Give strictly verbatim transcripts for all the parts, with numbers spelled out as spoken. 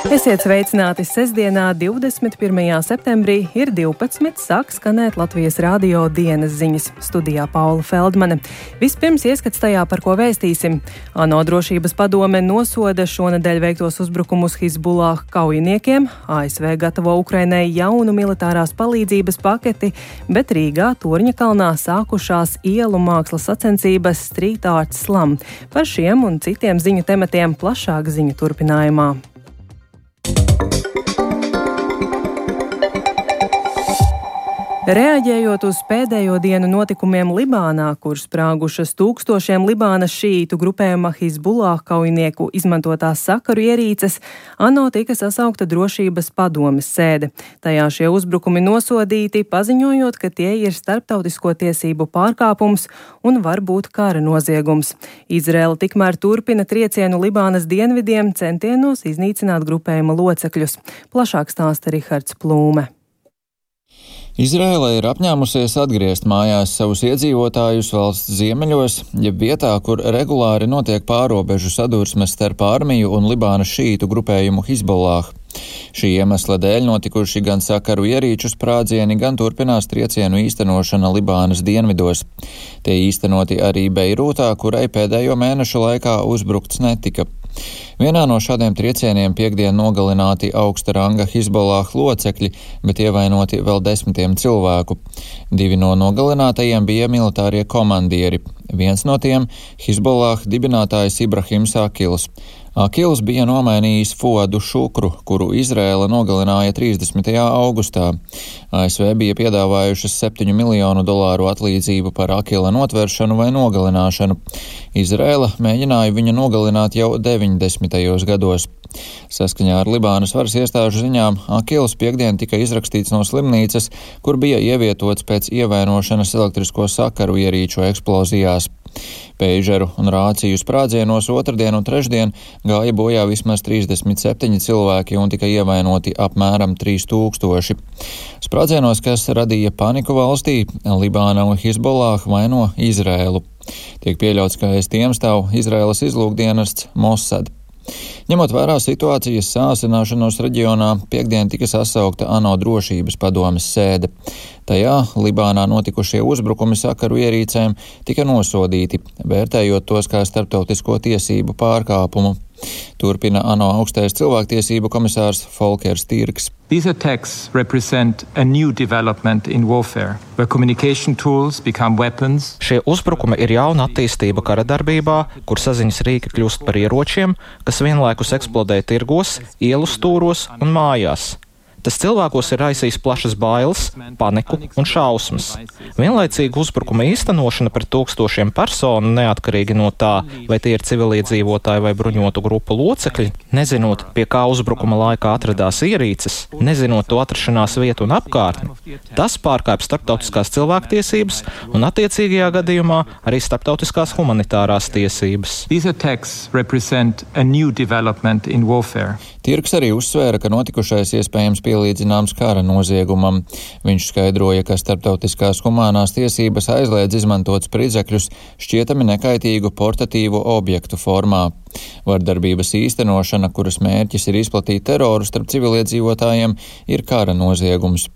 Esiet sveicināti sestdienā, divdesmit pirmajā septembrī, ir divpadsmit, sāk skanēt Latvijas radio dienas ziņas. Studijā Paula Feldmane. Vispirms ieskats tajā, par ko vēstīsim. ANO drošības padome nosoda šonedēļ veiktos uzbrukumus Hizbullah kaujiniekiem. A S V gatavo Ukrainai jaunu militārās palīdzības paketi, bet Rīgā Torņakalnā sākušās ielu mākslas sacensības Street Art Slam. Par šiem un citiem ziņu tematiem plašāk ziņu turpinājumā. Reaģējot uz pēdējo dienu notikumiem Libānā, kur sprāgušas tūkstošiem Libānas šīītu grupējuma Hizbullah kaujinieku izmantotās sakaru ierīces, ANO tika sasaukta drošības padomes sēde. Tajā šie uzbrukumi nosodīti, paziņojot, ka tie ir starptautisko tiesību pārkāpums un var būt kara noziegums. Izraela tikmēr turpina triecienu Libānas dienvidiem centienos iznīcināt grupējuma locekļus. Plašāk stāsta Rihards Plūme. Izraela ir apņēmusies atgriezt mājās savus iedzīvotājus valsts ziemeļos, jeb vietā, kur regulāri notiek pārobežu sadursmes starp armiju un Libānas šīītu grupējumu Hizbullah. Šī iemesla dēļ notikuši gan sakaru ierīču sprādzieni, gan turpinās triecienu īstenošana Libānas dienvidos. Tie īstenoti arī Beirūtā, kurai pēdējo mēnešu laikā uzbrukts netika. Vienā no šādiem triecieniem piekdien nogalināti augsta ranga Hizbullah locekļi, bet ievainoti vēl desmitiem cilvēku. Divi no nogalinātajiem bija militārie komandieri. Viens no tiem - Hizbullah dibinātājs Ibrahims Akils. Akils bija nomainījis Fuadu Šukru, kuru Izraela nogalināja trīsdesmitajā augustā. A S V bija piedāvājušas septiņu miljonu dolāru atlīdzību par Akila notveršanu vai nogalināšanu. Izraela mēģināja viņu nogalināt jau deviņdesmitajos gados. Saskaņā ar Libānas varas iestāžu ziņām Akils piekdien tika izrakstīts no slimnīcas, kur bija ievietots pēc ievainošanas elektrisko sakaru ierīču eksplozijās. Peižeru un rāciju sprādzienos otrdien un trešdien gāja bojā vismaz trīsdesmit septiņi cilvēki un tika ievainoti apmēram trīs tūkstoši. Sprādzienos, kas radīja paniku valstī, Libāna un Hizbullah vaino Izraēlu. Tiek pieļauts, ka aiz tiem stāv Izraēlas izlūkdienests Mossad. Ņemot vērā situācijas sāsināšanos reģionā, piekdien tika sasaukta ANO drošības padomes sēde. Tajā Libānā notikušie uzbrukumi sakaru ierīcēm tika nosodīti, vērtējot tos kā starptautisko tiesību pārkāpumu. Turpina ANO augstais cilvēktiesību komisārs Folkers Tirks. These attacks represent a new development in warfare, where communication tools become weapons. Šie uzbrukumi ir jauna attīstība kara darbībā, kur saziņas rīki kļūst par ieročiem, kas vienlaikus eksplodē tirgos, ielu stūros un mājās. Tas cilvēkos ir raisījis plašas bailes, paniku un šausmas. Vienlaicīgi uzbrukuma īstenošana pret tūkstošiem personu, neatkarīgi no tā, vai tie ir civiliedzīvotāji vai bruņotu grupu locekļi, nezinot, pie kā uzbrukuma laikā atradās ierīces, nezinot to atrašanās vietu un apkārtni, tas pārkāpj starptautiskās cilvēktiesības un attiecīgajā gadījumā arī starptautiskās humanitārās tiesības. These attacks represent a new development in warfare. Tirks arī uzsvēra, ka notikušais iespējams pielīdzināms kara noziegumam. Viņš skaidroja, ka starptautiskās humānās tiesības aizliedz izmantot spridzekļus šķietami nekaitīgu portatīvu objektu formā. Vardarbības īstenošana, kuras mērķis ir izplatīt teroru starp civiliedzīvotājiem, ir kara noziegums.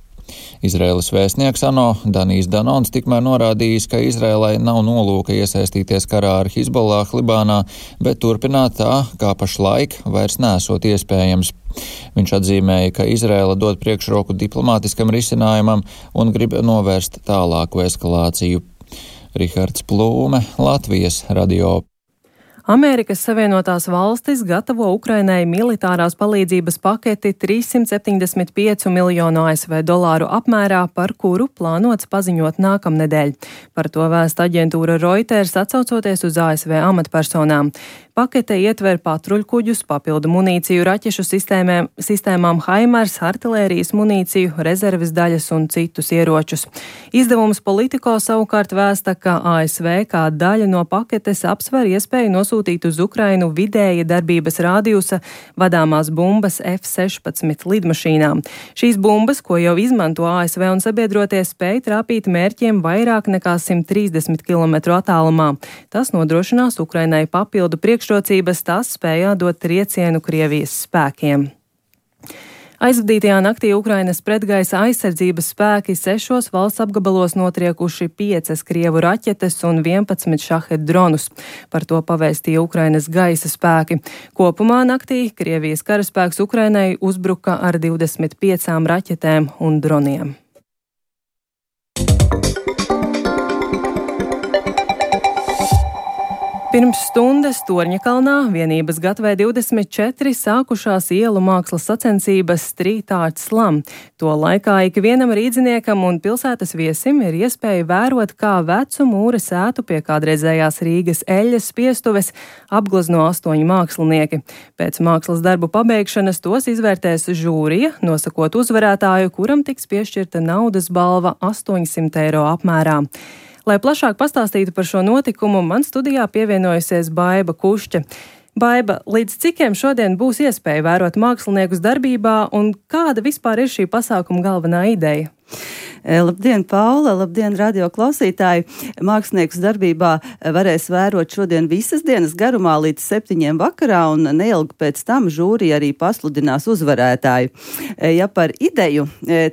Izraēlas vēstnieks ANO Danijs Danons tikmēr norādījis, ka Izraēlai nav nolūka iesaistīties karā ar Hizbullah Libānā, bet turpināt tā, kā pašlaik vairs nesot iespējams. Viņš atzīmēja, ka Izraēla dod priekšroku diplomātiskam risinājumam un grib novērst tālāku eskalāciju. Rihards Plūme, Latvijas radio. Amerikas Savienotās valstis gatavo Ukrainai militārās palīdzības paketi trīssimt septiņdesmit piecu miljonu A S V dolāru apmērā, par kuru plānots paziņot nākamnedēļ. Par to vēsta aģentūra Reuters, atsaucoties uz A S V amatpersonām. Pakete ietver patruļkuģus, papildu munīciju, raķešu sistēmēm, sistēmām Haimars, artilērijas munīciju, rezerves daļas un citus ieročus. Izdevums Politico savukārt vēsta, ka A S V kā daļa no paketes apsver iespēju nosūtīt uz Ukrainu vidēja darbības rādījusa vadāmās bumbas F sešpadsmit lidmašīnām. Šīs bumbas, ko jau izmanto A S V un sabiedrotie, spēj trāpīt mērķiem vairāk nekā simt trīsdesmit kilometru attālumā. Tas nodrošinās Ukrainai papildu priekšrocības, tas spējā dot triecienu Krievijas spēkiem. Aizvadītajā naktī Ukrainas pretgaisa aizsardzības spēki sešos valsts apgabalos notriekuši piecas Krievu raķetes un vienpadsmit šahed dronus. Par to pavēstīja Ukrainas gaisa spēki. Kopumā naktī Krievijas karaspēks Ukrainai uzbruka ar divdesmit piecām raķetēm un droniem. Pirms stundas Torņakalnā vienības gatavē divdesmit četri sākušās ielu mākslas sacensības Street Art Slam. To laikā ikvienam rīdziniekam un pilsētas viesim ir iespēja vērot, kā vecu mūra sētu pie kādreizējās Rīgas eļļas spiestuves apglezno astoņi mākslinieki. Pēc mākslas darbu pabeigšanas tos izvērtēs žūrija, nosakot uzvarētāju, kuram tiks piešķirta naudas balva astoņsimt eiro apmērā. Lai plašāk pastāstītu par šo notikumu, man studijā pievienojusies Baiba Kušķa. Baiba, līdz cikiem šodien būs iespēja vērot māksliniekus darbībā un kāda vispār ir šī pasākuma galvenā ideja? Labdien, Paula! Labdien, radio klausītāji! Māksliniekus darbībā varēs vērot šodien visas dienas garumā līdz septiņiem vakarā, un neilgi pēc tam žūrija arī pasludinās uzvarētāju. Ja par ideju,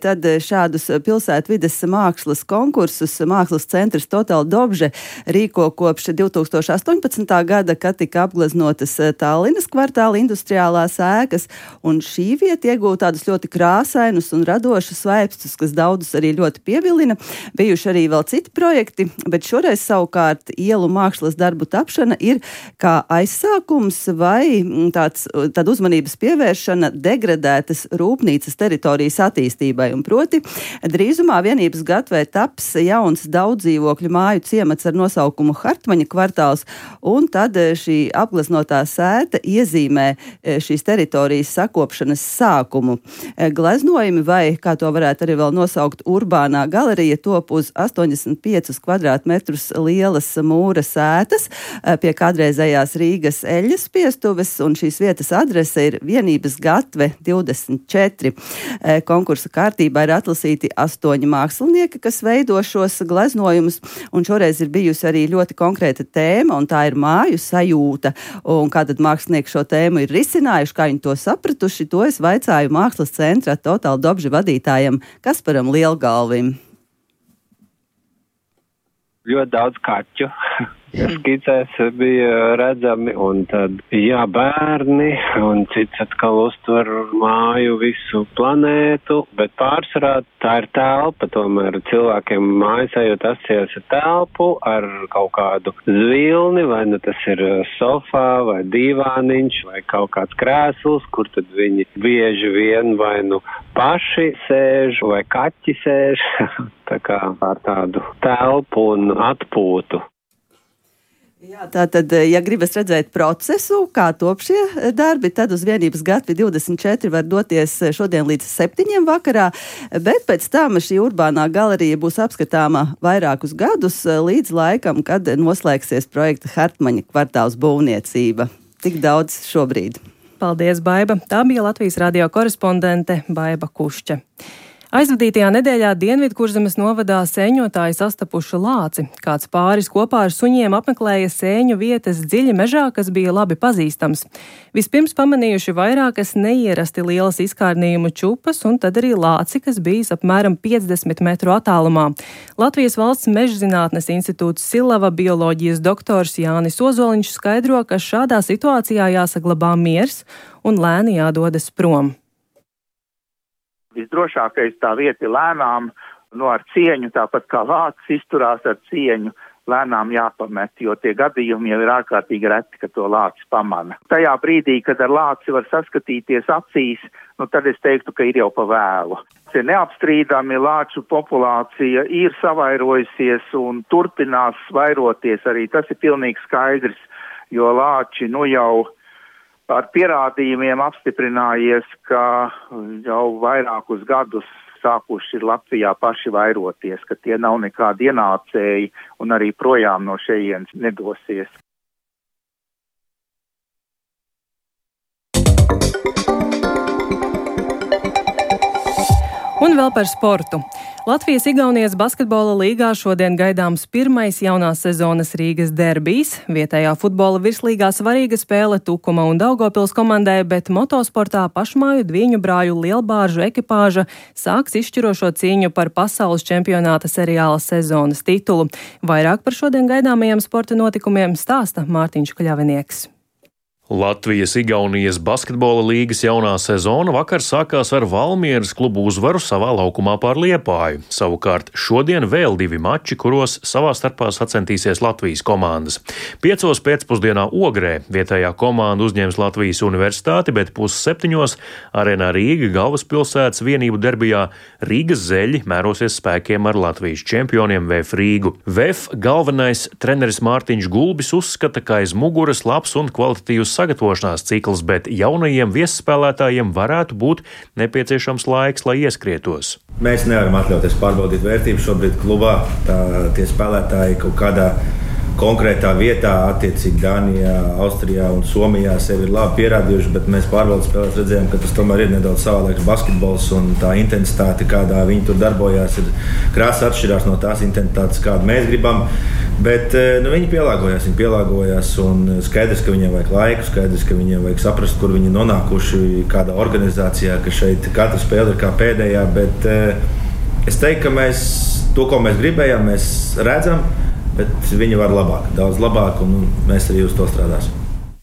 tad šādus pilsētvides mākslas konkursus Mākslas centrs Total Dobže rīko kopš divtūkstoš astoņpadsmitā gada, kad tika apgleznotas Tallinas kvartāla industriālās ēkas, un šī vieta iegūta tādus ļoti krāsainus un radošus vaipstus, kas daudzus arī ļoti pievilina. Bijuši arī vēl citi projekti, bet šoreiz savukārt ielu mākslas darbu tapšana ir kā aizsākums vai tāds, tāda uzmanības pievēršana degradētas rūpnīcas teritorijas attīstībai. Un proti, drīzumā vienības gatavē taps jauns daudzdzīvokļu māju ciemats ar nosaukumu Hartmaņa kvartāls, un tad šī apgleznotā sēta iezīmē šīs teritorijas sakopšanas sākumu. Gleznojumi vai, kā to varētu arī vēl nosaukt, urbānā galerija top uz astoņdesmit piecus kvadrātmetrus lielas mūra sētas pie kādreizējās Rīgas eļļas spiestuves, un šīs vietas adrese ir vienības gatve divdesmit četri. Konkursa kārtībā ir atlasīti astoņi mākslinieki, kas veido šos gleznojumus, un šoreiz ir bijusi arī ļoti konkrēta tēma, un tā ir māju sajūta. Un kā tad mākslinieki šo tēmu ir risinājuši, kā viņi to sapratuši, to es vaicāju Mākslas centra Total Dobže vadītājam Kasparam Lielgalvim. Ļoti daudz kaķu. Skicēs bija redzami, un tad, jā, bērni, un cits atkal uztver māju visu planētu, bet pārsvarā tā ir telpa, tomēr cilvēkiem mājas ejot asociējas ar telpu, ar kaut kādu zvilni, vai nu tas ir sofā, vai divāniņš, vai kaut kāds krēsls, kur tad viņi bieži vien vai nu paši sēž, vai kaķi sēž, tā kā ar tādu telpu un atpūtu. Jā, tātad, ja gribas redzēt procesu, kā top šie darbi, tad uz vienības gatvi divdesmit četri var doties šodien līdz septiņiem vakarā, bet pēc tam šī urbānā galerija būs apskatāma vairākus gadus līdz laikam, kad noslēgsies projekta Hartmaņa kvartāls būvniecība. Tik daudz šobrīd. Paldies, Baiba! Tā bija Latvijas radio korespondente Baiba Kušķa. Aizvadītajā nedēļā Dienvidkurzemes novadā sēņotāji sastapuši lāci. Kāds pāris kopā ar suņiem apmeklēja sēņu vietas dziļi mežā, kas bija labi pazīstams. Vispirms pamanījuši vairākas neierasti lielas izkārnījumu čupas un tad arī lāci, kas bijis apmēram piecdesmit metru attālumā. Latvijas Valsts mežzinātnes institūts Silava bioloģijas doktors Jānis Ozoliņš skaidro, ka šādā situācijā jāsaglabā miers un lēni jādodas prom. Visdrošākais tā vieta ir lēnām, no ar cieņu, tāpat kā lācis izturās ar cieņu, lēnām jāpamet, jo tie gadījumi jau ir ārkārtīgi reti, ka to lācis pamana. Tajā brīdī, kad ar lāci var saskatīties acīs, nu tad es teiktu, ka ir jau pa vēlu. Neapstrīdami lāču populācija ir savairojusies un turpinās vairoties arī. Tas ir pilnīgi skaidrs, jo lāči nu jau ar pierādījumiem apstiprinājies, ka jau vairākus gadus sākuši ir Latvijā paši vairoties, ka tie nav nekādi ienācēji un arī projām no šejienes nedosies. Un vēl par sportu. Latvijas-Igaunijas basketbola līgā šodien gaidāms pirmais jaunās sezonas Rīgas derbijs. Vietējā futbola virslīgā svarīga spēle Tukuma un Daugavpils komandai, bet motosportā pašmāju Dvīņu brāļu lielbāržu ekipāža sāks izšķirošo cīņu par pasaules čempionāta seriāla sezonas titulu. Vairāk par šodien gaidāmajiem sporta notikumiem stāsta Mārtiņš Kļavinieks. Latvijas-Igaunijas basketbola līgas jaunā sezona vakar sākās ar Valmieras klubu uzvaru savā laukumā pār Liepāju. Savukārt šodien vēl divi mači, kuros savā starpā sacentīsies Latvijas komandas. Piecos pēcpusdienā Ogrē vietējā komanda uzņems Latvijas universitāti, bet pusseptiņos Arēnā Rīga galvaspilsētas vienību derbijā Rīgas zeļi mērosies spēkiem ar Latvijas čempioniem V F Rīgu. V F galvenais treneris Mārtiņš Gulbis uzskata, ka aiz muguras labs un kvalitatīvs sagatavošanās cikls, bet jaunajiem viesspēlētājiem varētu būt nepieciešams laiks, lai ieskrietos. Mēs nevaram atļauties pārbaudīt vērtību šobrīd klubā. Tā, tie spēlētāji kaut kādā konkrētā vietā, attiecīgi Dānijā, Austrijā un Somijā sevi ir labi pierādījuši, bet mēs pārbaudas spēlēs redzējām, ka tas tomēr ir nedaudz savādāks basketbols un tā intensitāte, kādā viņi tur darbojās, ir krāsa atšķirās no tās intensitātes, kādu mēs gribam. Bet nu, viņi pielāgojās, viņi pielāgojās un skaidrs, ka viņiem vajag laiku, skaidrs, ka viņiem vajag saprast, kur viņi nonākuši, kādā organizācijā, ka šeit katra spēle ir kā pēdējā, bet es teiktu, ka mēs to, ko mēs gribējām, mēs redzam, bet viņi var labāk, daudz labāk, un mēs arī uz to strādāsim.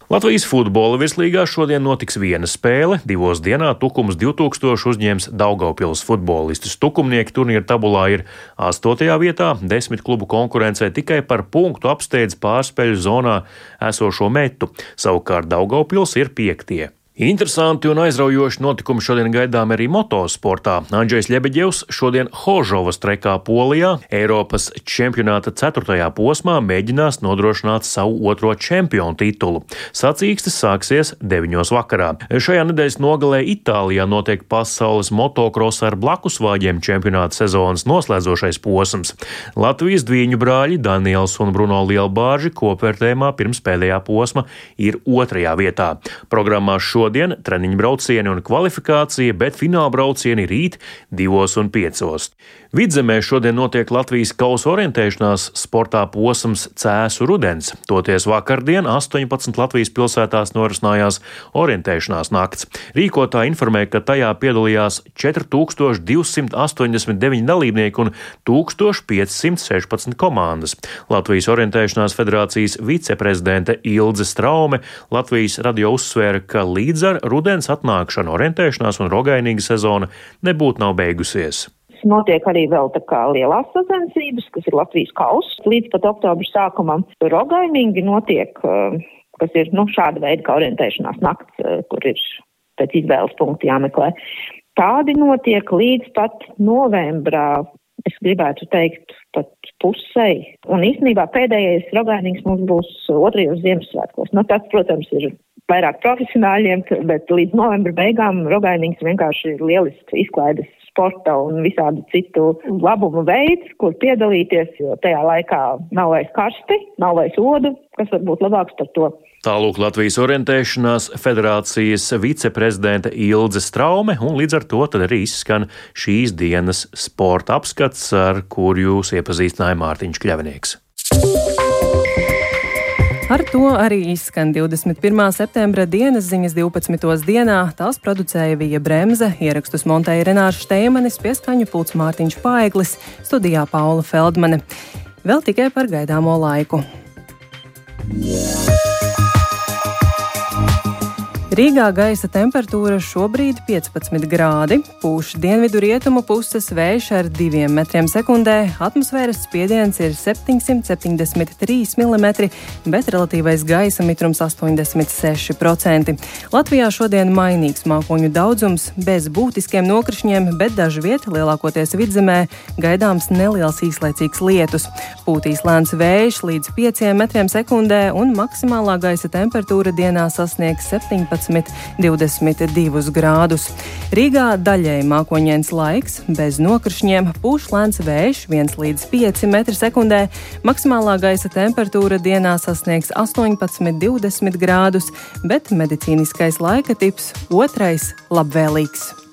Latvijas futbola virslīgā šodien notiks viena spēle. Divos dienā Tukums divi tūkstoši uzņems Daugavpils futbolistus. Tukumnieki turnīra tabulā ir astotajā vietā, desmit klubu konkurencē tikai par punktu apsteidz pārspēļu zonā esošo Metu. Savukārt Daugavpils ir piektie. Interesanti un aizraujoši notikumi šodien gaidām arī motosportā. Andžejs Ļebeģevs šodien Hožovas trekā Polijā Eiropas čempionāta ceturtajā posmā mēģinās nodrošināt savu otro čempionu titulu. Sacīkstes sāksies deviņos vakarā. Šajā nedēļas nogalē Itālijā notiek pasaules motokrosa ar blakusvāģiem čempionāta sezonas noslēdzošais posms. Latvijas Dvīņu brāļi Daniels un Bruno Lielbārži kopvērtējumā pirms pēdējā posma ir otrajā vietā. Programmā šo Šodien treniņu braucieni un kvalifikācija, bet fināla braucieni rīt divos un piecos. Vidzemē šodien notiek Latvijas kausa orientēšanās sportā posms Cēsu rudens. Toties vakardien astoņpadsmit Latvijas pilsētās norisinājās orientēšanās nakts. Rīkotāji informē, ka tajā piedalījās četri tūkstoši divsimt astoņdesmit deviņi dalībnieki un tūkstoš piecsimt sešpadsmit komandas. Latvijas orientēšanās federācijas viceprezidente Ilze Straume Latvijas radio uzsvēra, ka līdz ar rudens atnākšanu orientēšanās un rogainīga sezona nebūtu nav beigusies. Notiek arī vēl tā kā lielās sacensības, kas ir Latvijas kauss. Līdz pat oktobra sākumam rogainīgi notiek, kas ir nu, šāda veida kā orientēšanās nakts, kur ir pēc izvēles punktu jāmeklē. Tādi notiek līdz pat novembrā, es gribētu teikt, pat pusei. Un īstenībā pēdējais rogainīgs mums būs otrajos Ziemassvētkos. Nu, tas, protams, ir vairāk profesionāļiem, bet līdz novembra beigām rogainīgs vienkārši ir lielisks izklaides sporta un visādu citu labumu veids, kur piedalīties, jo tajā laikā nav vairs karsti, nav vairs odu, kas var būt labāks par to. Tālūk Latvijas orientēšanās federācijas viceprezidente Ilze Straume, un līdz ar to tad arī izskan šīs dienas sporta apskats, ar kur jūs iepazīstināja Mārtiņš Kļavinieks. Ar to arī izskan divdesmit pirmā septembra dienas ziņas divpadsmitos dienā. Tās producēja Vija Bremze, ierakstus montēja Renārs Šteimanis, pie skaņu pults Mārtiņš Paeglis, studijā Paula Feldmane. Vēl tikai par gaidāmo laiku. Rīgā gaisa temperatūra šobrīd piecpadsmit grādi, pūš dienvidu rietumu puses vējš ar diviem metriem sekundē, atmosfēras spiediens ir septiņsimt septiņdesmit trīs milimetri, bet relatīvais gaisa mitrums astoņdesmit seši procenti. Latvijā šodien mainīgs mākoņu daudzums, bez būtiskiem nokrišņiem, bet dažviet, lielākoties vidzemē, gaidāms neliels īslaicīgs lietus. Pūtīs lēns vējš līdz pieciem metriem sekundē un maksimālā gaisa temperatūra dienā sasniegs septiņpadsmit divdesmit divus grādus. Rīgā daļēji mākoņains laiks, bez nokrišņiem, pūš lēns vējš viens līdz pieci metri sekundē, maksimālā gaisa temperatūra dienā sasniegs astoņpadsmit divdesmit grādus, bet medicīniskais laika tips otrais labvēlīgs.